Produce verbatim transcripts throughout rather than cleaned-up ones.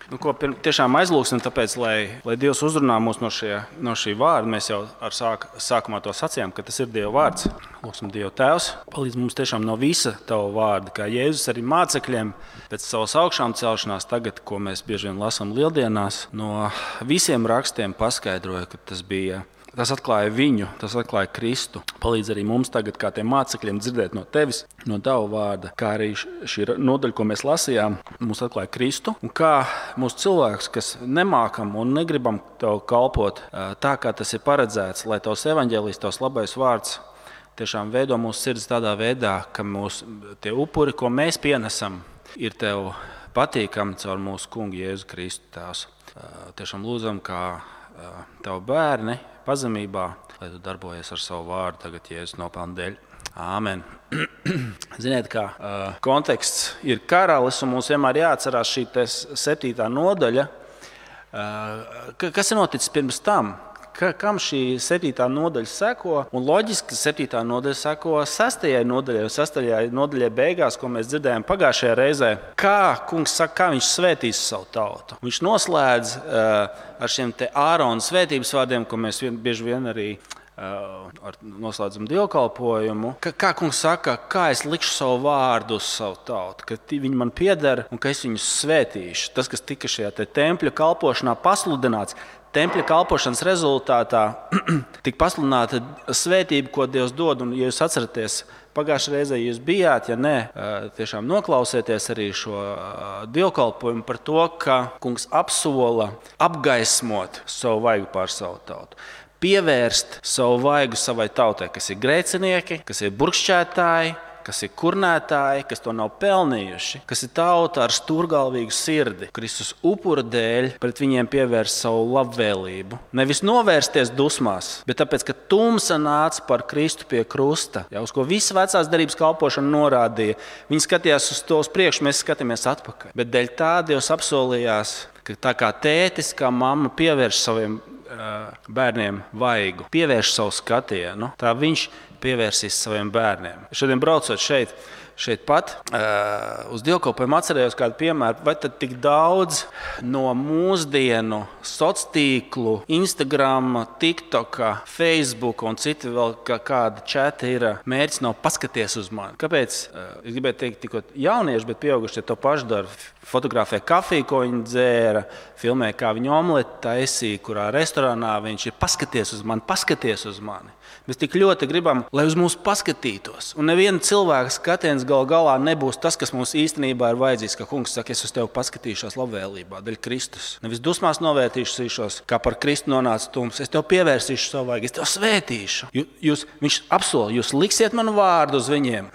Nu, ko pirm, tiešām aizlūksim, tāpēc, lai, lai Dievs uzrunā mūs no, šie, no šī vārda. Mēs jau ar sāk, sākumā to sacījām, ka tas ir Dieva vārds. Lūksim, Dieva Tēvs, palīdz mums tiešām no visa Tava vārda, kā Jēzus arī mācekļiem pēc savas augšām celšanās tagad, ko mēs bieži vien lasām lieldienās, no visiem rakstiem paskaidroja, ka tas bija. Tas atklāja viņu, tas atklāja Kristu. Palīdz arī mums tagad, kā tiem mācekļiem, dzirdēt no Tevis, no Tava vārda, kā arī šī nodaļa, ko mēs lasījām, mums atklāja Kristu. Un kā mūsu cilvēks, kas nemākam un negribam Tev kalpot tā, kā tas ir paredzēts, lai Tavs evaņģēlijs, Tavs labais vārds tiešām veido mūsu sirds tādā veidā, ka mūsu tie upuri, ko mēs pienesam, ir Tev patīkami caur mūsu kungu Jēzu Kristu Tēvs. Tiešām lūdzam, kā Tavu bērni, pazemībā, lai Tu darbojies ar savu vārdu tagad Jēzus nopelnu dēļ. Āmen. Ziniet, kā uh, konteksts ir karalis, un mums vienmēr jāatcerās šī septītā nodaļa. Uh, kas ir noticis pirms tam? Ka, kam šī septītā nodaļa seko? Un loģiski, ka septītā nodaļa seko sestajai nodaļai, sestajai nodaļai beigās, ko mēs dzirdējām pagājušajā reizē. Kā kungs saka, kā viņš svētīs savu tautu? Viņš noslēdz uh, ar šiem te Ārona svētības vārdiem, ko mēs vien, bieži vien arī uh, ar noslēdzam dievkalpojumu. Ka, kā kungs saka, kā es likšu savu vārdu uz savu tautu, ka viņi man pieder un ka es viņus svētīšu. Tas, kas tika šajā te tempļa kalpošanā pasludināts, tempļa kalpošanas rezultātā tika pasludināta svētība, ko Dievs dod. Un, ja jūs atceraties, pagājušajā reizē jūs bijāt, ja ne, tiešām noklausieties arī šo dievkalpojumu par to, ka kungs apsola apgaismot savu vaigu pār savu tautu. Pievērst savu vaigu savai tautai, kas ir grēcinieki, kas ir burkšķētāji, kas ir kurnētāji, kas to nav pelnījuši, kas ir tauta ar stūrgalvīgu sirdi. Kristus upura dēļ pret viņiem pievērst savu labvēlību. Nevis novērsties dusmās, bet tāpēc, ka tumsa nāca par Kristu pie krusta, jau uz ko visa vecās derības kalpošana norādīja. Viņi skatījās uz to uz priekšu, mēs skatāmies atpakaļ. Bet dēļ tā Dievs apsolījās, ka tā kā tētis, kā mamma pievērš saviem uh, bērniem vaigu, pievērš savu skatienu, tā viņš pievērsīs saviem bērniem. Šodien braucot šeit, šeit pat, uh, uz dievkalpojumu atcerējos kādu piemēru, vai tad tik daudz no mūsdienu sociālo, Instagram, TikTok, Facebook un citi vēl kā, kāda čati ir mērķis nav paskaties uz mani. Kāpēc? Uh, es gribēju teikt tikko jaunieši, bet pieaugušie to pašu dara. Fotografē kafiju, ko viņi dzēra, filmē, kā viņi omleti taisīja, kurā restorānā viņš ir paskaties uz mani, paskaties uz mani. Mēs tik ļoti gribam, lai uz mums paskatītos. Un neviena cilvēka skatiens gal galā nebūs tas, kas mums īstenībā ir vajadzīgs. Ka kungs saka, es uz tevi paskatīšos labvēlībā, dēļ Kristus. Nevis dusmās novērtīšos, kā par Kristu nonāca tums. Es tev pievērsīšu savu vaigu, es tev svētīšu. Jūs, viņš apsola, jūs liksiet manu vārdu uz viņiem.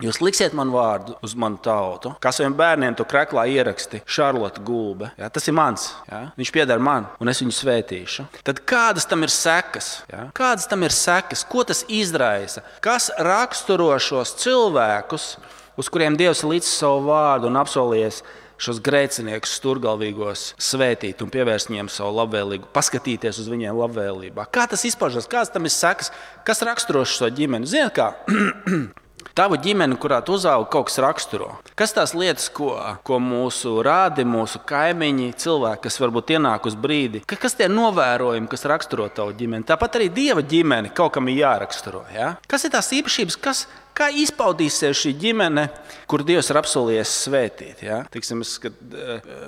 Jūs liksiet manu vārdu uz manu tautu. Kā saviem bērniem to kreklā ieraksti Šarlota Gulbe. Jā, tas ir mans. Jā? Viņš pieder man, un es viņu svētīšu. Tad kādas tam ir sekas? Jā? Kādas tam ir sekas? Ko tas izraisa? Kas raksturo šos cilvēkus, uz kuriem Dievs līdz savu vārdu un apsolījies šos grēciniekus sturgalvīgos svētīt un pievērst viņiem savu labvēlīgu, paskatīties uz viņiem labvēlībā? Kā tas izpaužas? Kādas tam ir sekas? Kas raksturo šo ģimeni? Ziniet kā? Tavu ģimeni, kurā tu uzaugi, kaut kas raksturo. Kas tās lietas, ko, ko mūsu rādi, mūsu kaimiņi, cilvēki, kas varbūt ienāk uz brīdi, kas tie novērojumi, kas raksturo tavu ģimeni? Tāpat arī Dieva ģimeni kaut kam ir jāraksturo. Ja? Kas ir tās īpašības, kas, kā izpaudīsies šī ģimene, kur Dievs ir apsolījies svētīt? Ja? Tiksim, es, kad,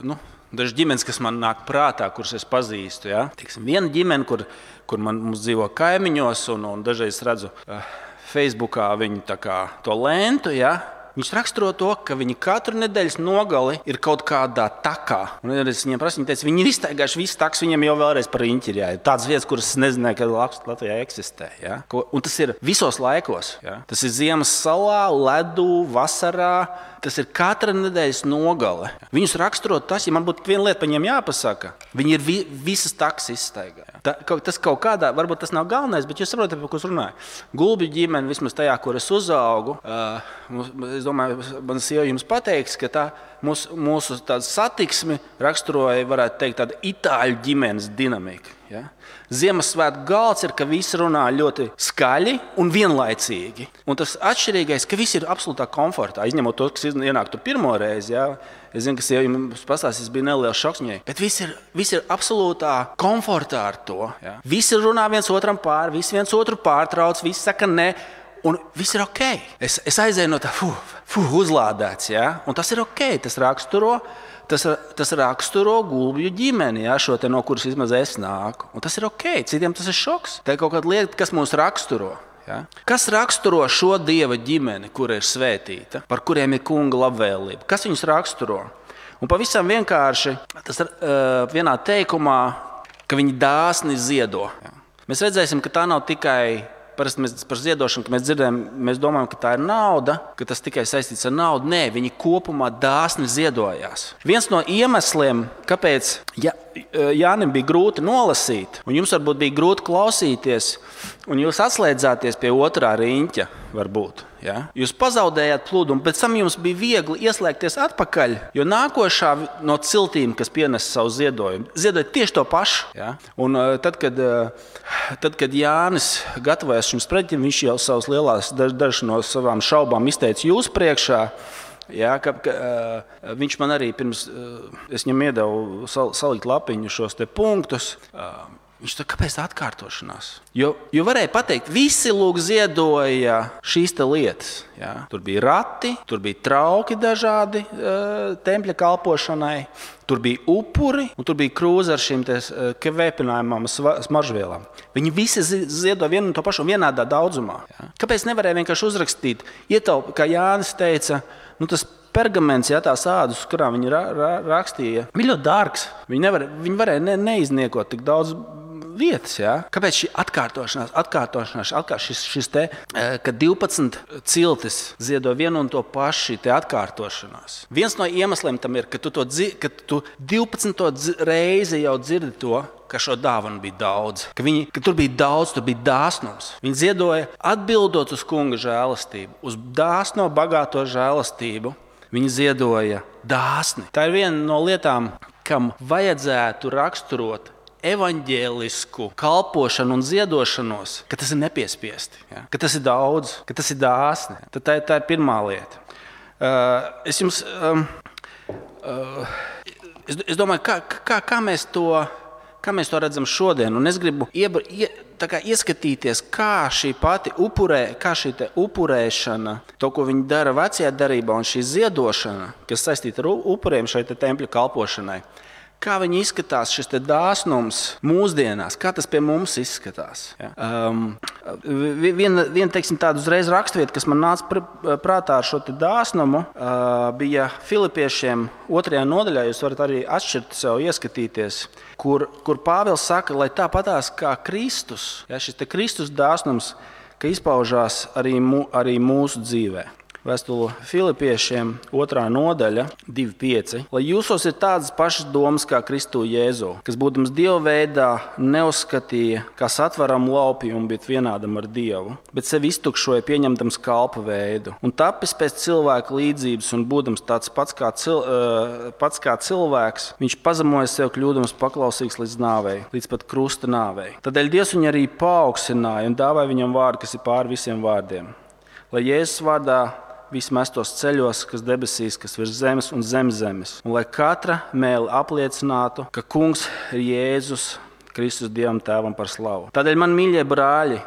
nu, dažas ģimenes, kas man nāk prātā, kuras es pazīstu. Ja? Tiksim, viena ģimene, kur, kur man mums dzīvo kaimiņos, un, un dažreiz redzu uh, Facebookā viņu tā kā to lentu, ja? Viņš raksturo to, ka viņi katru nedēļas nogali ir kaut kādā takā. Un es viņiem prasu, viņi teica, viņi ir iztaigājuši visu taks, viņiem jau vēlreiz par riņķi ir jāiet. Tādas vietas, kuras es nezināju, ka Latvijā eksistē. Ja? Un tas ir visos laikos. Ja? Tas ir ziemas salā, ledū, vasarā. Tas ir katra nedēļas nogale. Viņus raksturo tas, ja man būtu viena lieta par viņiem jāpasaka, viņi ir vi, visas taks izstaigā. Ta, tas kaut kādā, varbūt tas nav galvenais, bet jūs saprotat, par ko es runāju. Gulbju ģimene, vismaz tajā, kur es uzaugu, uh, es domāju, man sieva jums pateiks, ka tā, mūsu, mūsu tādu satiksmi raksturoja, varētu teikt, tāda itāļu ģimenes dinamika. Ja? Ziemassvētku galds ir, ka visi runā ļoti skaļi un vienlaicīgi. Un tas atšķirīgais, ka visi ir absolūtā komfortā, izņemot to, kas ienāk tur pirmo reizi. Ja? Es zinu, ka jums pastāstīs, bija neliels šoks viņai, bet visi ir, visi ir absolūtā komfortā ar to. Ja? Visi runā viens otram pāri, visi viens otru pārtrauc, visi saka ne. Un viss ir ok. Es, es aizēju no tā, fuh, fuh, uzlādēts. Ja? Un tas ir ok. Tas raksturo, tas, tas raksturo Gulbju ģimeni, ja? Šo te, no kuras vismaz es nāku. Un tas ir ok. Citiem tas ir šoks. Tā ir kaut kāda lieta, kas mūs raksturo. Ja? Kas raksturo šo Dieva ģimeni, kura ir svētīta, par kuriem ir kunga labvēlība? Kas viņus raksturo? Un pavisam vienkārši tas ir uh, vienā teikumā, ka viņi dāsni ziedo. Ja? Mēs redzēsim, ka tā nav tikai. Parasti mēs par ziedošanu, ka mēs dzirdējam, mēs domājam, ka tā ir nauda, ka tas tikai saistīts ar naudu. Nē, viņi kopumā dāsni ziedojās. Viens no iemesliem, kāpēc ja, Jānim bija grūti nolasīt, un jums varbūt bija grūti klausīties, un jūs atslēdzāties pie otrā riņķa, varbūt. Ja? Jūs pazaudējāt plūdumu, pēc tam jums bija viegli ieslēgties atpakaļ, jo nākošā no ciltīm, kas pienes savu ziedojumu, ziedoja tieši to pašu. Ja? Un tad, kad, tad, kad Jānis gatavojas šim sprediķim, viņš jau savas lielās dažas no savām šaubām izteica jūs priekšā. Ja, ka, ka, uh, viņš man arī pirms, uh, es viņam iedevu sal, salikt lapiņu šos te punktus. Uh, Viņš tā, kāpēc tā atkārtošanās? Jo, jo varēja pateikt, visi lūk ziedoja šīs te lietas. Ja? Tur bija rati, tur bija trauki dažādi uh, tempļa kalpošanai, tur bija upuri un tur bija krūze ar šīm te uh, vēpinājumām smaržvielām. Viņi visi ziedoja vienu un to pašu vienādā daudzumā. Ja? Kāpēc nevarēja vienkārši uzrakstīt, ietaup, kā Jānis teica, nu tas pergaments, ja, tās ādas, uz kurām viņi ra, ra, rakstīja, bija ļoti dārgs. Viņi, nevar, viņi varēja ne, neizniekot tik daudz vietas. Ja? Kāpēc šī atkārtošanās, atkārtošanās, atkārtošanās šis, šis te, ka divpadsmit ciltis ziedo vienu un to pašu, šī te atkārtošanās. Viens no iemesliem tam ir, ka tu, to, ka tu divpadsmito reizi jau dzirdi to, ka šo dāvanu bija daudz, ka, viņi, ka tur bija daudz, tur bija dāsnums. Viņi ziedoja atbildot uz kunga žēlastību, uz dāsno, bagāto žēlastību. Viņi ziedoja dāsni. Tā ir viena no lietām, kam vajadzētu raksturot evaņģēlisku kalpošanu un ziedošanos, ka tas ir nepiespiesti, ja? Ka tas ir daudz, ka tas ir dāsni. Tad tā, tā ir pirmā lieta. Uh, es jums, um, uh, es, es domāju, kā, kā, kā, mēs to, kā mēs to redzam šodien, un es gribu iebra, ie, tā kā ieskatīties, kā šī pati upurē, kā šī te upurēšana, to, ko viņi dara vecajā darībā, un šī ziedošana, kas saistīta ar upuriem šai te tempļa kalpošanai, kā viņi izskatās, šis te dāsnums mūsdienās, kā tas pie mums izskatās. Ja? Um, viena, viena teiksim, tāda uzreiz rakstvieta, kas man nāca pr prātā ar šo te dāsnumu, uh, bija Filipiešiem otrajā nodaļā, jūs varat arī atšķirt sev, ieskatīties, kur, kur Pāvils saka, lai tāpatās kā Kristus, ja, šis te Kristus dāsnums, ka izpaužās arī, mū, arī mūsu dzīvē. Vēstule Filipiešiem, otrā nodaļa, divi pieci. Lai jūsos ir tādas pašas domas kā Kristu Jēzu, kas būdams Dieva veidā neuzskatīja kā satveramu laupījumu, bet vienādam ar Dievu, bet sevi iztukšoja pieņemdams kalpa veidu. Un tapis pēc cilvēka līdzības un būdams tāds pats kā, cil, uh, pats kā cilvēks, viņš pazemoja sev kļūdams paklausīgs līdz nāvei, līdz pat krusta nāvei. Tādēļ Dievs viņu arī paaugstināja un dāvāja viņam vārdu, kas ir pāri visiem vārdiem. Lai Jēzus vārdā visi mestos ceļos, kas debesīs, kas virs zemes un zem zemes. Un lai katra mēle apliecinātu, ka kungs ir Jēzus Kristus Dievam tēvam par slavu. Tādēļ, man mīļie brāļi,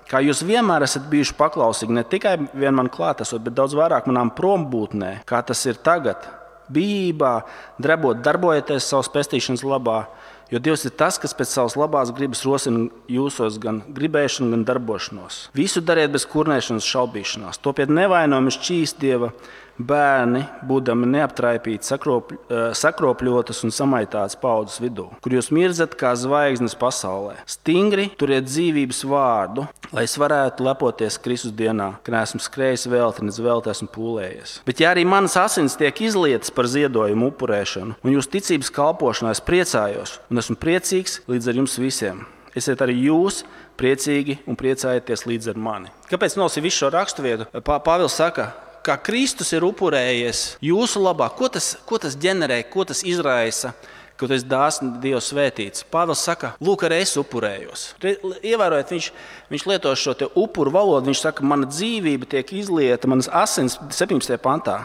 kā jūs vienmēr esat bijuši paklausīgi, ne tikai vien man klātesot, bet daudz vairāk manām prombūtnē, kā tas ir tagad, bijībā, drebot, darbojieties savas pestīšanas labā, jo Dievs ir tas, kas pēc savas labās gribas rosina jūsos gan gribēšanu, gan darbošanos. Visu dariet bez kurnēšanas, šaubīšanās. Topiet nevainojami šķīst Dieva bērni, būdami neaptraipīti, sakrop, sakropļotas un samaitātas paudzes vidū, kur jūs mirzat kā zvaigznes pasaulē. Stingri turiet dzīvības vārdu, lai es varētu lepoties Kristus dienā, ka neesmu skrējis velti, nec velti esmu pūlējies. Bet ja arī manas asins tiek izlietas par ziedojumu upurēšanu, un jūs ticības kalpošanā es priecājos, un esmu priecīgs līdz ar jums visiem. Esiet arī jūs priecīgi un priecājieties līdz ar mani. Kāpēc nolasīju visu šo raksturvietu? Pāvils saka, kā Kristus ir upurējies jūsu labā, ko tas, ko tas ģenerē, ko tas izraisa, ka tu esi dāsni Dieva svētīts. Pāvils saka, lūk, arī es upurējos. Ievērojot, viņš, viņš lieto šo te upuru valodu, viņš saka, mana dzīvība tiek izlieta, manas asins, septiņpadsmitajā pantā,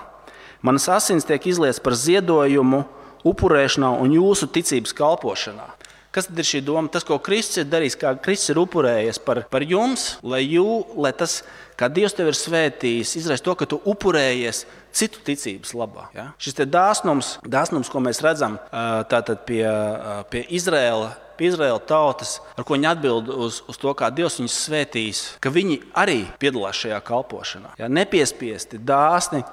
manas asins tiek izlietas par ziedojumu, upurēšanā un jūsu ticības kalpošanā. Kas tad ir šī doma? Tas, ko Kristus ir darījis, kā Kristus ir upurējies par, par jums, lai, jū, lai tas, kā Dievs tev ir svētījis, izraisa to, ka tu upurējies citu ticības labā. Ja? Šis te dāsnums, dāsnums, ko mēs redzam tātad pie, pie Izraēla, pie Izraēla tautas, ar ko viņi atbild uz, uz to, kā Dievs viņus svētījis, ka viņi arī piedalās šajā kalpošanā. Ja? Nepiespiesti, dāsni,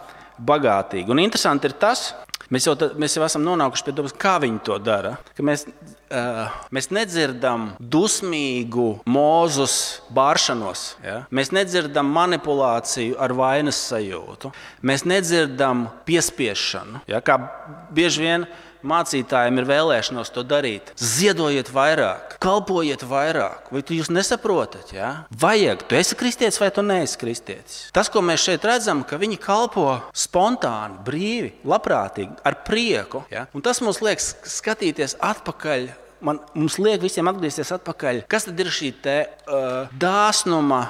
bagātīgi. Un interesanti ir tas, Mēs jau, mēs jau esam nonākuši pie domas, kā viņi to dara. Ka mēs, uh, mēs nedzirdam dusmīgu Mūzus bāršanos. Ja? Mēs nedzirdam manipulāciju ar vainas sajūtu. Mēs nedzirdam piespiešanu. Ja? Kā bieži vien mācītājiem ir vēlēšanos to darīt. Ziedojiet vairāk, kalpojiet vairāk. Vai tu jūs nesaprotat? Ja? Vajag. Tu esi kristietis vai tu neesi kristietis? Tas, ko mēs šeit redzam, ka viņi kalpo spontāni, brīvi, labprātīgi, ar prieku. Ja? Un tas mums liek skatīties atpakaļ. Man, mums liek visiem atgriezties atpakaļ. Kas tad ir šī te, uh, dāsnuma,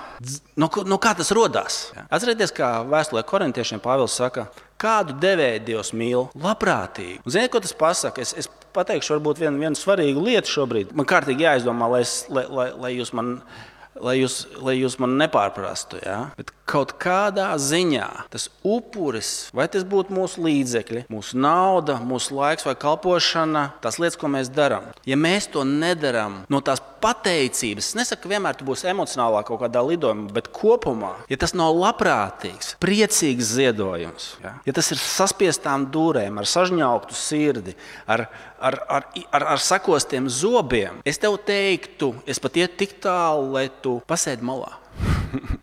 no, no kā tas rodās? Ja? Atcerieties, kā vēstulē korintiešiem Pāvils saka, kādu devēju Dievs mīl? Labprātīgi. Un ziniet, ko tas pasaka? Es, es pateikšu varbūt vienu, vienu svarīgu lietu šobrīd. Man kārtīgi jāizdomā, lai, es, lai, lai, lai jūs man... Lai jūs, lai jūs man nepārprastu, ja? Bet kaut kādā ziņā tas upuris, vai tas būtu mūsu līdzekļi, mūsu nauda, mūsu laiks vai kalpošana, tās lietas, ko mēs darām. Ja mēs to nedaram no tās pateicības, es nesaku, ka vienmēr tu būsi emocionālā kaut kādā lidojumā, bet kopumā, ja tas nav labprātīgs, priecīgs ziedojums, ja, ja tas ir saspiestām dūrēm, ar sažņauktu sirdi, ar, ar, ar, ar, ar sakostiem zobiem, es tev teiktu, es pat iet tik tālu, lai tu pasēdi malā.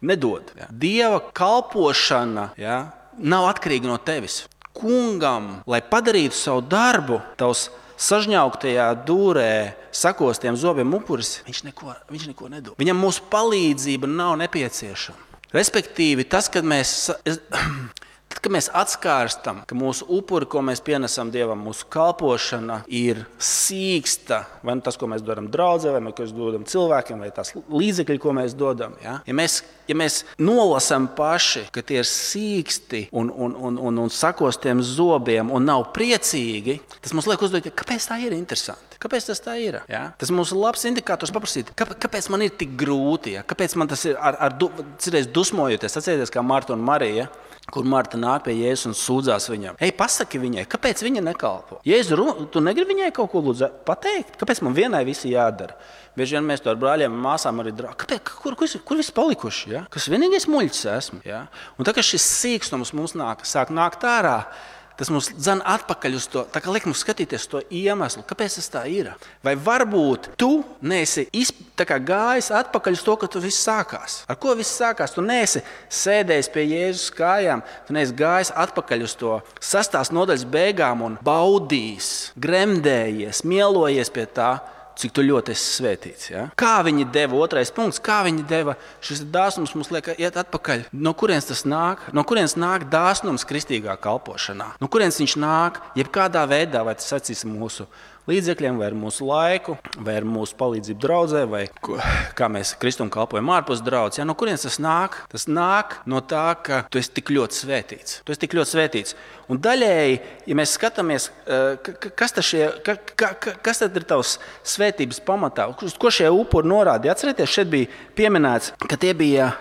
Nedod. Ja. Dieva kalpošana, ja, nav atkarīga no tevis. Kungam, lai padarītu savu darbu, tavs sažņauktajā dūrē, sakostiem zobiem upuris, viņš neko, viņš neko nedod. Viņam mūsu palīdzība nav nepieciešama. Respektīvi, tas, kad mēs... Es, Tad, kad mēs atskārstam, ka mūsu upuri, ko mēs pienesam Dievam, mūsu kalpošana ir sīksta, vai nu tas, ko mēs dodam draudzē, vai mēs dodam cilvēkiem, vai tās līdzekļi, ko mēs dodam. Ja, ja, mēs, ja mēs nolasam paši, ka tie ir sīksti un, un, un, un, un sakostiem zobiem un nav priecīgi, tas mums liek uzdot, kāpēc tā ir interesanti? Kāpēc tas tā ir? Ja? Tas mums ir labs indikators paprasīt, kāpēc man ir tik grūti, ja? Kāpēc man tas ir ar, ar du, cirreiz dusmojoties, atcerieties kā Marta un Marija, kur Marta nāk pie Jēzus un sūdzās viņam. Ej, pasaki viņai, kāpēc viņa nekalpo? Jēzu, tu negribi viņai kaut ko lūdzu pateikt? Kāpēc man vienai visi jādara? Bieži vien mēs to ar brāļiem un māsām arī darām. Kāpēc? Kur, kur, kur visi palikuši? Ja? Kas vienīgais muļķis esmu? Ja? Un tā kā šis sīkstums mums nāk, sāk nākt ārā, tas mums dzen atpakaļ uz to, tā kā liek mums skatīties to iemeslu, kāpēc tas tā ir. Vai varbūt tu neesi izp, tā kā gājis atpakaļ uz to, ka tu viss sākās. Ar ko viss sākās? Tu neesi sēdējis pie Jēzus kājām, tu neesi gājis atpakaļ uz to sastās nodaļas beigām un baudījis, gremdējies, mielojies pie tā, cik tu ļoti esi svētīts. Ja? Kā viņi deva, otrais punkts, kā viņi deva šis dāsnums mums liek iet atpakaļ. No kurienes tas nāk? No kurienes nāk dāsnums kristīgā kalpošanā? No kurienes viņš nāk? Jebkādā veidā, vai tas sacīs mūsu līdzekļiem, vai ar mūsu laiku, vai ar mūsu palīdzību draudzē, vai kā mēs kristum kalpojam ārpus draudzes. Ja? No kurienes tas nāk? Tas nāk no tā, ka tu esi tik ļoti svētīts. Tu esi tik ļoti svētīts. Un daļēji, ja mēs skatāmies, kas, šie, ka, ka, kas tad ir tavs svētības pamatā, uz ko šie upuri norāda? Atcerieties, šeit bija pieminēts, ka tie bija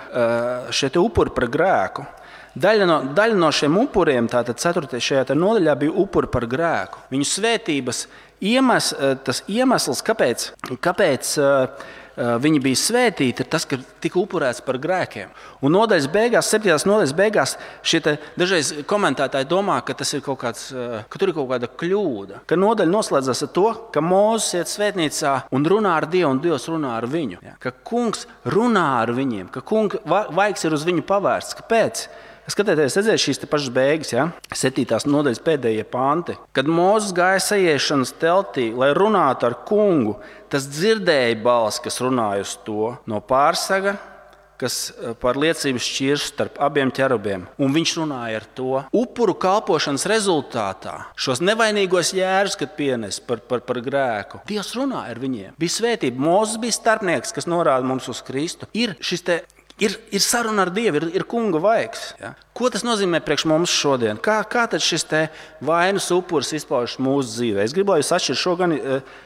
šie upuri par grēku. Daļa no, daļa no šiem upuriem, tātad ceturtajā šajā nodaļā, bija upuri par grēku. Viņu svētības iemes, tas iemesls, kāpēc, kāpēc viņi bija svētīti, ir tas, ka tika upurēts par grēkiem. Un nodaļas beigās, septītās nodaļas beigās, šie te dažreiz komentētāji domā, ka, tas ir kaut kāds, ka tur ir kaut kāda kļūda. Ka nodaļa noslēdzas ar to, ka Mūzes iet svētnīcā un runā ar Dievu, un Dievs runā ar viņu. Ja? Ka kungs runā ar viņiem, ka kunga vaigs ir uz viņu pavērsts. Kāpēc? Skatieties, redzēt šīs te pašas beigas, ja? septītās nodaļas pēdējie panti. Kad Mūzes gāja sajiešanas teltī, lai runātu ar kungu, tas dzirdēja balsi, kas runāja uz to no pārsaga, kas par liecību šķirs starp abiem ķerubiem. Un viņš runāja ar to upuru kalpošanas rezultātā. Šos nevainīgos jērus, kad pienes par, par, par grēku. Dievs runāja ar viņiem. Bija svētība. Mūzes bija starpnieks, kas norāda mums uz Kristu. Ir šis te Ir, ir saruna ar Dievu, ir, ir kunga vaigs. Ja? Ko tas nozīmē priekš mums šodien? Kā, kā tad šis te vainas upuris izpaužas mūsu dzīvē? Es gribu, lai jūs atšķirat šo gan,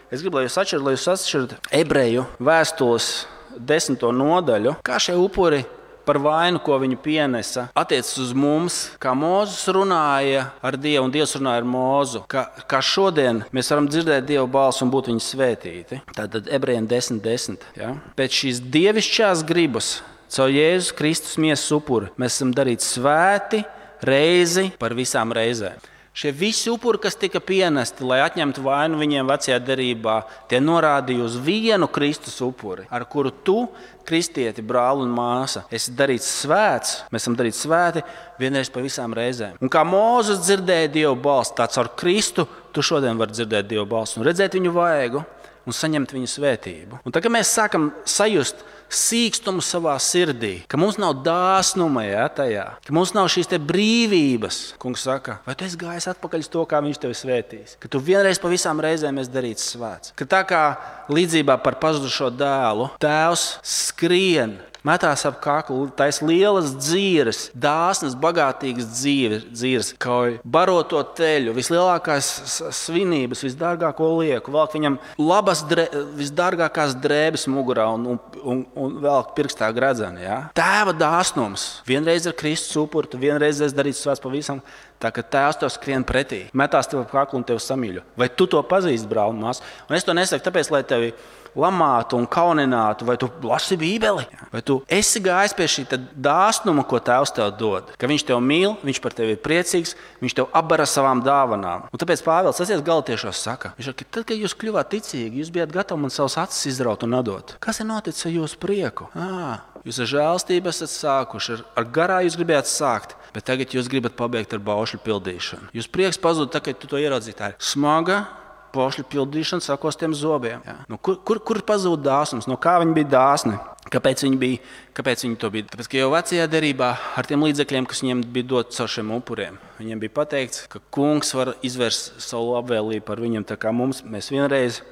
es gribu, lai jūs atšķirat, lai jūs atšķirat Ebreju vēstules desmito nodaļu. Kā šie upuri par vainu, ko viņi pienesa, attiecas uz mums, kā Mūzes runāja ar Dievu un Dievs runāja ar Mūzu. Kā, kā šodien mēs varam dzirdēt Dieva balsi un būt viņa svētīti. Tātad Ebrejiem desmit desmit. Ja? Pēc šīs dievišķās gribas, caur Jēzus Kristus miesas upuri, mēs esam darīti svēti reizi par visām reizēm. Šie visi upuri, kas tika pienesti, lai atņemtu vainu viņiem vecajā derībā, tie norādīja uz vienu Kristus upuri, ar kuru tu, kristieti, brāli un māsa, esi darīts svēts, mēs esam darīti svēti vienreiz par visām reizēm. Un kā Mūzes dzirdēja Dieva balsi, tā caur Kristu tu šodien vari dzirdēt Dieva balsi un redzēt viņu vaigu un saņemt viņu svētību. Un tagad mēs sākam sajust sīkstumu savā sirdī, ka mums nav dāsnuma, ja, tajā, ka mums nav šīs te brīvības. Kungs saka, vai tu esi gājis atpakaļ uz to, kā viņš tevi svētīs? Ka tu vienreiz pa visām reizēm esi darīts svēts. Ka tā kā līdzībā par pazudušo dēlu, tēvs skrien, metās ap kaklu, taisa lielas dzīves, dāsnas, bagātīgas dzīves, kauj baroto teļu, vislielākās svinības, visdārgāko lieku, velk viņam labas, dre, visdārgākās drēbes mugurā un, un, un, un velk pirkstā gredzeni. Ja? Tēva dāsnums. Vienreiz ar Kristus upuri, tu vienreiz esi darīts svēts pavisam, tā ka tēvs tev skrien pretī, metās tev ap kaklu un tevi samīļo. Vai tu to pazīsti, brāl un māsa? Un es to nesaku tāpēc, lai tevi lamātu un kauninātu, vai tu lasi Bībeli, vai tu esi gājis pie šī dāsnuma, ko Tēvs tev dod. Ka viņš tev mīl, viņš par tevi ir priecīgs, viņš tev apbara savām dāvanām. Un tāpēc Pāvils asies Galatiešos saka, viņš saka, tad, kad jūs kļuvāt ticīgi, jūs bijāt gatavi man savus acis izraut un atdot. Kas ir noticis ar jūsu prieku? À, jūs ar žēlstību esat sākuši, ar, ar garā jūs gribējāt sākt, bet tagad jūs gribat pabeigt ar baušļu pildīšanu. Jūs prieks pazūd, tā, kad tu to ieraudzīji, tā ir smaga baušļu pildīšana sakostiem zobiem. Ja? Nu, kur, kur, kur pazūd dāsnums? No kā viņi bija dāsni? Kāpēc viņi, bija, kāpēc viņi to bija? Tāpēc, ka jau vecajā derībā ar tiem līdzekļiem, kas viņiem bija dot caur šiem upuriem, viņiem bija pateikts, ka kungs var izvērst savu labvēlību par viņiem, tā kā mums mēs vienreiz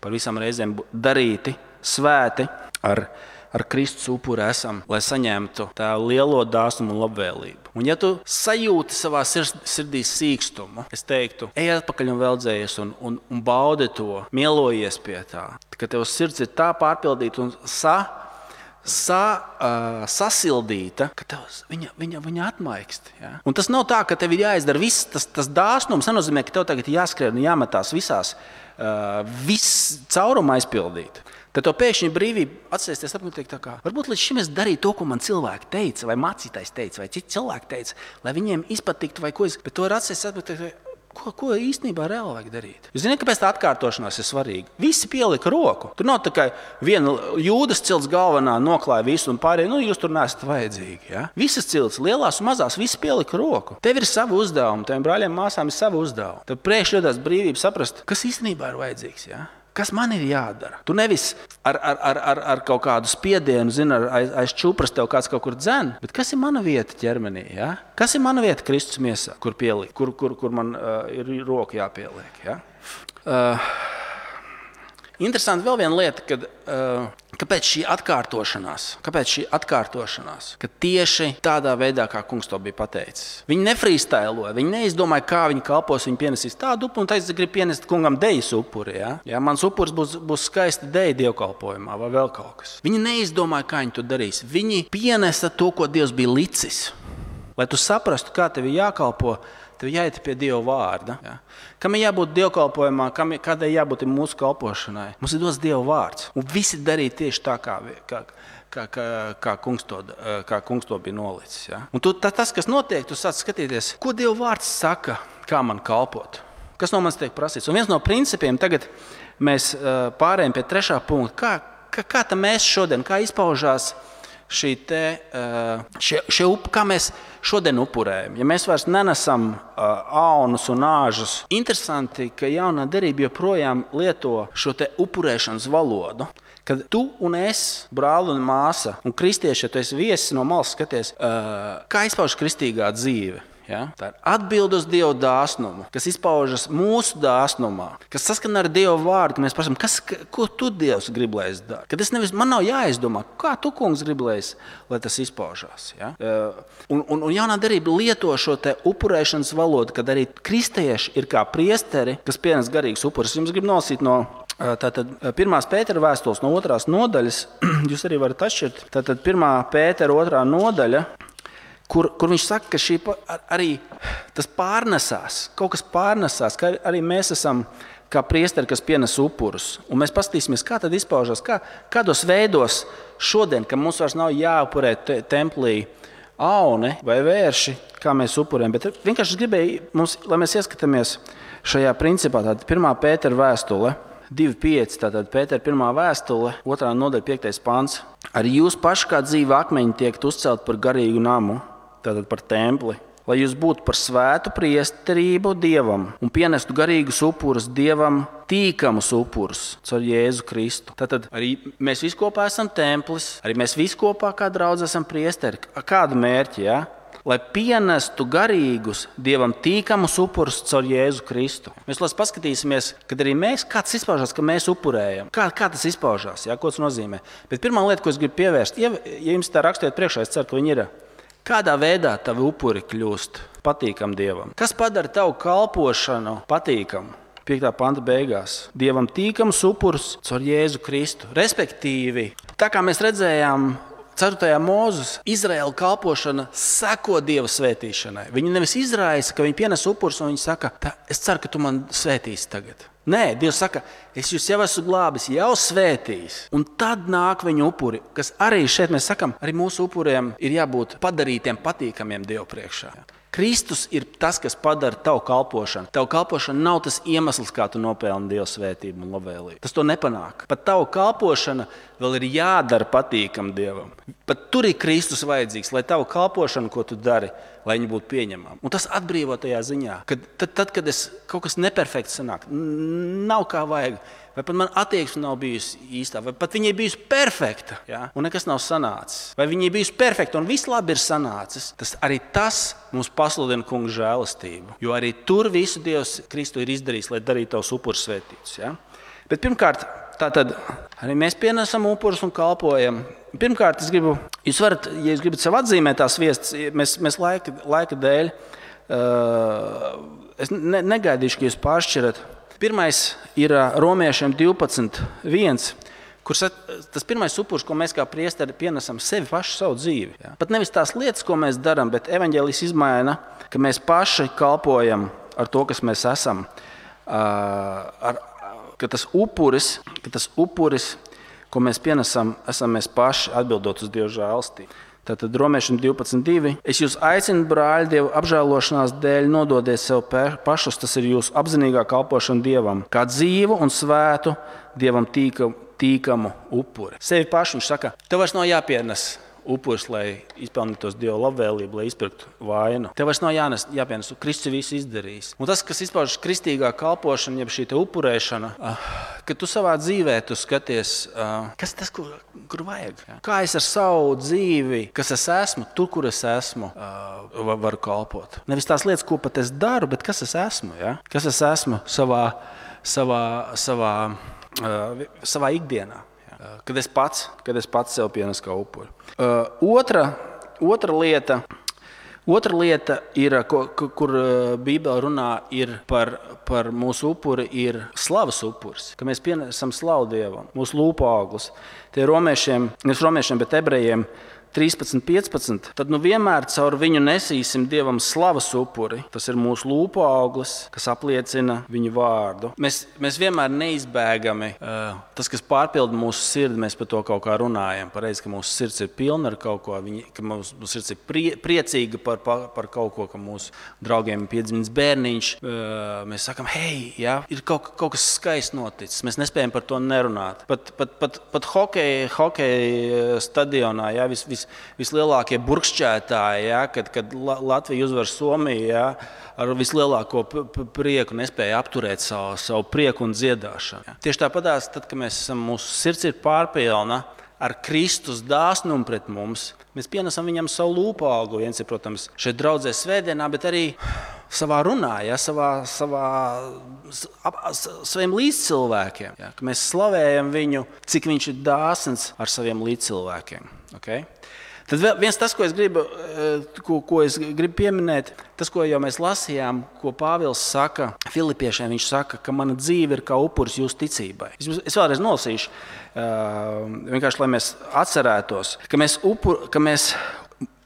par visām reizēm darīti, svēti ar ar Kristus upuri esam, lai saņemtu tā lielo dāsnumu un labvēlību. Un ja tu sajūti savā sirdī sīkstumu, es teiktu, ej atpakaļ un veldzējies un, un, un baudi to, mielojies pie tā, ka tev sirds ir tā pārpildīta un sa, sa, uh, sasildīta, ka tev viņa, viņa, viņa atmaikst. Ja? Un tas nav tā, ka tev ir jāizdara viss, tas, tas dāsnums nenozīmē, ka tev tagad jāskrien un jāmetās visās, uh, viss cauruma aizpildīt. Tad to pēkšņi brīvība atsēsties apkārt tā kā, varbūt līdz šim es darīju to, ko man cilvēki teica, vai mācītājs teica, vai citi cilvēki teica, lai viņiem izpatiktu, vai ko es, bet to var atsēsties apkārt, ko, ko īstenībā reāli vajag darīt. Jūs zināt, kāpēc tā atkārtošanās ir svarīga? Visi pielika roku. Tur nav tā kā viena jūdas cilts galvenā noklāja visu un pārējie, nu jūs tur neesat vajadzīgi. Ja? Visas cilts, lielās un mazās, visi pielika roku. Tev ir savi uzdevumi, teviem brāļiem māsām ir savi uzdevumi. Tev priekš jādās brīvība saprast, kas īstenībā ir vajadzīgs. Ja? Kas man ir jādara? Tu nevis ar, ar, ar, ar, ar kaut kādu spiedienu, zini, aiz, aiz čupras tev kāds kaut kur dzen, bet kas ir mana vieta ķermenī? Ja? Kas ir mana vieta Kristus miesā, kur pielikt, kur, kur, kur man uh, ir roka jāpieliek? Ja? Uh, Interesanti vēl viena lieta, kad, uh, kāpēc šī atkārtošanās, kāpēc šī atkārtošanās, ka tieši tādā veidā, kā kungs to bija pateicis. Viņi nefrīstailoja, viņi neizdomāja, kā viņi kalpos, viņi pienesīs tādu upuri, un teica, grib pienest kungam dejas upuri. Ja? Ja, mans upuris būs, būs skaisti deja dievkalpojumā vai vēl kaut kas. Viņi neizdomāja, kā viņi to darīs. Viņi pienesa to, ko Dievs bija licis. Lai tu saprastu, kā tev ir jākalpo, tev jāiet pie Dieva vārda. Ja? Kam ir jābūt dievkalpojumā, kam ir, kādai jābūt mūsu kalpošanai? Mums ir dots Dieva vārds. Un visi darīja tieši tā, kā, kā, kā, kā, kā, kungs, to, kā kungs to bija nolicis. Ja? Un tu, tā, tas, kas notiek, tu sāc skatīties, ko Dieva vārds saka, kā man kalpot. Kas no manis tiek prasīts? Un viens no principiem, tagad mēs pārējām pie trešā punkta. Kā, kā, kā tā mēs šodien, kā izpaužās šī te, šie, šie up, kā mēs šodien upurējam. Ja mēs vairs nenesam aunus un āžus, interesanti, ka jaunā derība joprojām lieto šo te upurēšanas valodu. Kad tu un es, brāli un māsa, un kristieši, ja tu esi viesis no malas skaties, kā izpauž kristīgā dzīve. Ja? Tā ir atbilde uz Dieva dāsnumu, kas izpaužas mūsu dāsnumā, kas saskana ar Dieva vārdu, ka mēs prasām, kas, ko tu, Dievs, grib, lai es daru. Kad es nevis, man nav jāizdomā, kā tu, kungs, grib, lai, es, lai tas izpaužās. Ja? Un, un, un jaunā derība lieto šo te upurēšanas valodu, kad arī kristieši ir kā priesteri, kas pienes garīgus upurus. Jums grib nolasīt no tātad pirmās Pētera vēstules no otrās nodaļas, jūs arī varat atšķirt, tātad pirmā Pētera otrā nodaļa, Kur, kur viņš saka, ka šī arī tas pārnesās, kaut kas pārnesās, ka arī mēs esam kā priesteri, kas pienes upurus. Un mēs paskatīsimies, kā tad izpaužās, kā, kādos veidos šodien, ka mums vairs nav jāupurē te, templī auni vai vērši, kā mēs upurējam. Bet vienkārši gribēju, mums, lai mēs ieskatāmies šajā principā, tātad pirmā Pētera vēstule, divi pieci, tātad Pētera pirmā vēstule, otrā nodaļa, piektais pants. Arī jūs paši kā dzīvi akmeņi tiekat uzcelt par garīgu namu, tātad par templi, lai jūs būtu par svētu priesterību Dievam un pienestu garīgus upurus Dievam, tīkamus upurus caur Jēzu Kristu. Tātad arī mēs visi kopā esam templis, arī mēs visi kopā kā draudz esam priesteri. Kādu mērķi, ja? Lai pienestu garīgus Dievam tīkamus upurus caur Jēzu Kristu. Mēs lās paskatīsimies, kad arī mēs, kā tas izpaužās, ka mēs upurējam. Kā, kā tas izpaužās, ja? Ko tas nozīmē. Bet pirmā lieta, ko es gribu pievērst, ja, ja jums tā rakstiet priekšā, es ceru, ka viņi ir. Kādā veidā tavi upuri kļūst patīkam Dievam? Kas padara tavu kalpošanu patīkamu? piektā panta beigās. Dievam tīkams upurs caur Jēzu Kristu. Respektīvi, tā kā mēs redzējām ceturtajā Mūzes, Izraēla kalpošana seko Dieva svētīšanai. Viņi nevis izraisa, ka viņi pienes upurus un viņi saka, es ceru, ka tu man svētīsi tagad. Nē, Dievs saka, es jūs jau esmu glābis, jau svētījis. Un tad nāk viņu upuri, kas arī šeit mēs sakam, arī mūsu upuriem ir jābūt padarītiem patīkamiem Dievu priekšā. Kristus ir tas, kas padara tavu kalpošanu. Tavu kalpošana nav tas iemesls, kā tu nopelni Dieva svētību un labvēlību. Tas to nepanāk. Pat tavu kalpošana vēl ir jādara patīkam Dievam. Pat tur ir Kristus vajadzīgs, lai tavu kalpošanu, ko tu dari, lai viņi būtu pieņemami. Un tas atbrīvo tajā ziņā, ka tad, tad, kad es kaut kas neperfekts sanāk, nav kā vajag, vai pat man attieksme nav bijusi īstā, vai pat viņai bijusi perfekta, ja? Un nekas nav sanācis. Vai viņai bijusi perfekta un viss labi ir sanācis, tas arī tas mums pasludina Kunga žēlastību. Jo arī tur visu Dievs Kristu ir izdarījis, lai darītu tavus upurus svētītus. Ja? Bet pirmkārt, tātad arī mēs pienesam upurus un kalpojam. Pirmkārt, es gribu, jūs varat, ja jūs gribat sev atzīmēt tās viestas, mēs, mēs laika, laika dēļ, uh, es ne, negaidīšu, ka jūs pāršķirat. Pirmais ir Romiešiem divpadsmit viens, kur tas pirmais upurs, ko mēs kā priesteri pienesam sevi pašu savu dzīvi. Ja? Pat nevis tās lietas, ko mēs darām, bet evaņģēlijs izmaina, ka mēs paši kalpojam ar to, kas mēs esam. Uh, ar, ka tas upuris, ka tas upuris, ko mēs pienesam, esam mēs paši atbildot uz Dieva žēlastību. Tātad Romiešiem divpadsmit divi. Es jūs aicinu, brāļi, Dieva apžēlošanās dēļ nododiet sev pašus, tas ir jūsu apzinīgā kalpošana Dievam, kā dzīvu un svētu Dievam tīkamu, tīkamu upuri. Sevi pašu viņš saka, tev vairs nav jāpienes upuris, lai izpelnītos Dieva labvēlību, lai izpirktu vainu. Tev vairs nav jānes, jāpienes, Kristus visu izdarījis. Un tas, kas izpaužas kristīgā kalpošana, jeb šī te upurēšana, kad tu savā dzīvē tu skaties, kas tas, kur, kur vajag. Kā es ar savu dzīvi, kas es esmu, tur, kur es esmu, varu kalpot. Nevis tās lietas, ko pat es daru, bet kas es esmu. Ja? Kas es esmu savā, savā, savā, savā ikdienā. Kad es pats, kad es pats sev pienesu kā upuri. Uh, otra, otra, lieta, otra lieta, ir, ko, kur Bībele runā, ir par, par mūsu upuri, ir slavas upuris. Ka mēs pienesam slavu Dievam, mūsu lūpu auglis. Tie ir romiešiem, nevis romiešiem, bet ebrejiem trīspadsmit, piecpadsmit, tad nu vienmēr caur viņu nesīsim Dievam slavas upuri. Tas ir mūsu lūpu auglis, kas apliecina viņu vārdu. Mēs, mēs vienmēr neizbēgami, uh, tas, kas pārpilda mūsu sirdi, mēs par to kaut kā runājam. Pareizi, ka mūsu sirds ir pilna ar kaut ko, viņi, ka mūsu, mūsu sirds ir prie, priecīga par, par, par kaut ko, ka mūsu draugiem ir piedzimis bērniņš. Uh, mēs sakam, hei, jā, ir kaut, kaut kas skaists noticis. Mēs nespējam par to nerunāt. Pat, pat, pat, pat hokeja, hokeja stadionā, jā, vis, vis, vislielākie burkšķētāji, jā, kad, kad Latvija uzvar Somiju, jā, ar vislielāko prieku nespēja apturēt savu, savu prieku un dziedāšanu. Jā. Tieši tāpatās, tad, kad mēs esam, mūsu sirds ir pārpilna ar Kristus dāsnumu pret mums, mēs pienesam viņam savu lūpu augli. Viens ir, protams, šeit draudzē svētdienā, bet arī savā runā, ja, savā, savā, ap, saviem līdzcilvēkiem. Ja, ka mēs slavējam viņu, cik viņš ir dāsns ar saviem līdzcilvēkiem. Okay? Tad viens tas, ko es gribu, ko, ko es gribu pieminēt, tas, ko jau mēs lasījām, ko Pāvils saka Filipiešiem, viņš saka, ka mana dzīve ir kā upuris jūsu ticībai. Es, es vēlreiz nolasīšu, vienkārši, lai mēs atcerētos, ka mēs, upur, ka mēs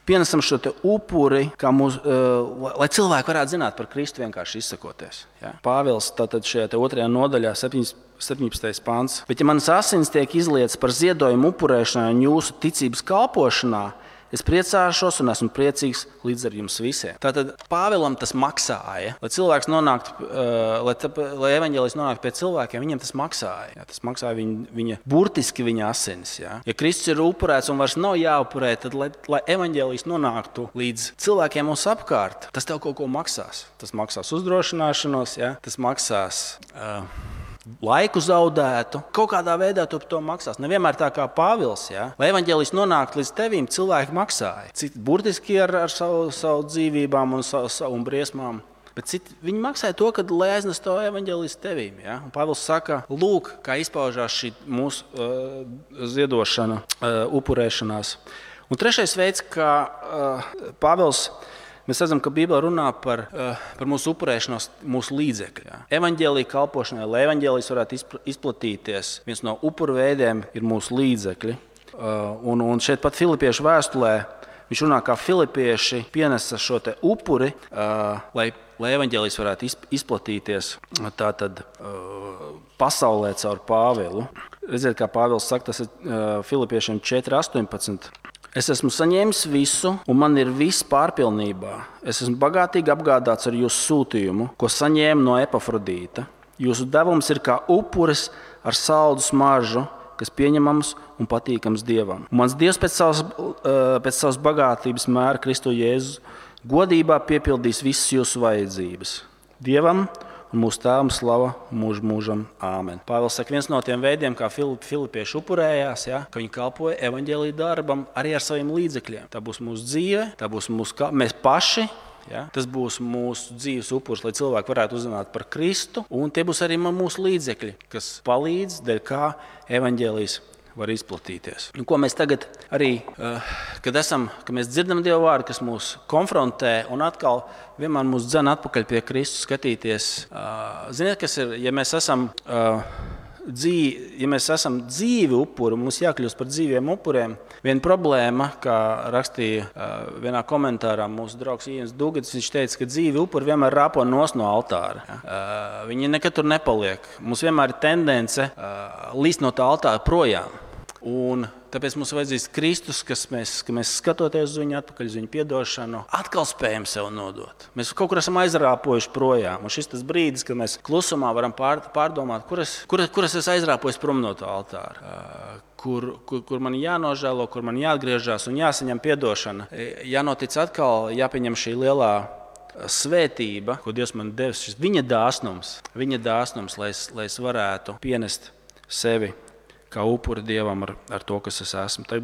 pienesam šo te upuri, kā mūs, uh, lai cilvēki varētu zināt par Kristu vienkārši izsakoties. Ja? Pāvils tātad šajā te otrajā nodaļā, septiņpadsmitais pants. Bet ja manas asins tiek izlietas par ziedojumu upurēšanai un jūsu ticības kalpošanā, es priecāšos un esmu priecīgs līdz ar jums visiem. Tātad Pāvilam tas maksāja, lai cilvēks nonāktu, uh, lai, tā, lai evaņģēlijs nonāktu pie cilvēkiem, viņam tas maksāja. Ja? Tas maksāja viņa, viņa, burtiski viņa asinis. Ja? Ja Kristus ir upurēts un vairs nav jāupurē, tad lai, lai evaņģēlijs nonāktu līdz cilvēkiem mums apkārt, tas tev kaut ko maksās. Tas maksās uzdrošināšanos, ja? Tas maksās Uh, laiku zaudētu, kaut kādā veidā tu par to maksās. Nevienmēr tā kā Pāvils, ja? Lai evaņģēlijs nonāktu līdz tevīm, cilvēki maksāja. Citi burtiski ar, ar savu, savu dzīvībām un savu, savu briesmām. Bet citi, viņi maksāja to, kad, lai aiznes to evaņģēlijs tevīm. Ja? Un Pāvils saka, lūk, kā izpaužās šī mūsu uh, ziedošana, uh, upurēšanās. Un trešais veids, kā uh, Pāvils mēs redzam, ka Bībele runā par, uh, par mūsu upurēšanos, mūsu līdzekļu. Evaņģēlija kalpošanai, lai evaņģēlijs varētu izplatīties, viens no upuru veidiem ir mūsu līdzekļi. Uh, un, un šeit pat Filipiešu vēstulē viņš runā, kā filipieši pienesa šo te upuri, uh, lai, lai evaņģēlijs varētu izplatīties tātad, uh, pasaulē caur Pāvilu. Redziet, kā Pāvils saka, tas ir uh, Filipiešiem četri astoņpadsmit. Es esmu saņēmis visu, un man ir viss pārpilnībā. Es esmu bagātīgi apgādāts ar jūsu sūtījumu, ko saņēmu no Epafrodīta. Jūsu devums ir kā upuris ar saldu smaržu, kas pieņemams un patīkams Dievam. Un mans Dievs pēc savas, pēc savas bagātības mēra Kristu Jēzu godībā piepildīs visas jūsu vajadzības. Dievam un mūsu tēvam slava mūžu mūžam. Āmen. Pāvils saka, viens no tiem veidiem, kā filipieši upurējās, ja, ka viņi kalpoja evaņģēlija darbam arī ar saviem līdzekļiem. Tā būs mūsu dzīve, tā būs mūsu, mēs paši, ja, tas būs mūsu dzīves upurs, lai cilvēki varētu uzzināt par Kristu, un tie būs arī mūsu līdzekļi, kas palīdz, dēļ kā evaņģēlijs var izplatīties. Un ko mēs tagad arī, kad, esam, kad mēs dzirdam Dieva vārdu, kas mūs konfrontē un atkal vienmēr mūs dzen atpakaļ pie Kristus skatīties. Ziniet, kas ir, ja mēs esam, dzīvi, ja mēs esam dzīvi upuri, mums jākļūst par dzīviem upuriem. Viena problēma, kā rakstīja vienā komentārā mūsu draugs Ienis Dugads, viņš teica, ka dzīvi upuri vienmēr rāpo nos no altāra. Viņi nekad tur nepaliek. Mums vienmēr ir tendence līst no tā altāra projām. Un tāpēc mums vajadzīgs Kristus, kas mēs, ka mēs skatoties uz viņu atpakaļ, uz viņu piedošanu, atkal spējam sev nodot. Mēs kaut kur esam aizrāpojuši projām. Un šis tas brīdis, kad mēs klusumā varam pār, pārdomāt, kur es, kur, kur es esmu aizrāpojis prom no tā altāra. Kur, kur, kur man jānožēlo, kur man jāatgriežas un jāsaņem piedošana. Jānotic atkal, jāpieņem šī lielā svētība, ko Dievs man devis, šis viņa dāsnums, viņa dāsnums, lai es, lai es varētu pienest sevi kā upuri Dievam ar, ar to, kas es esmu.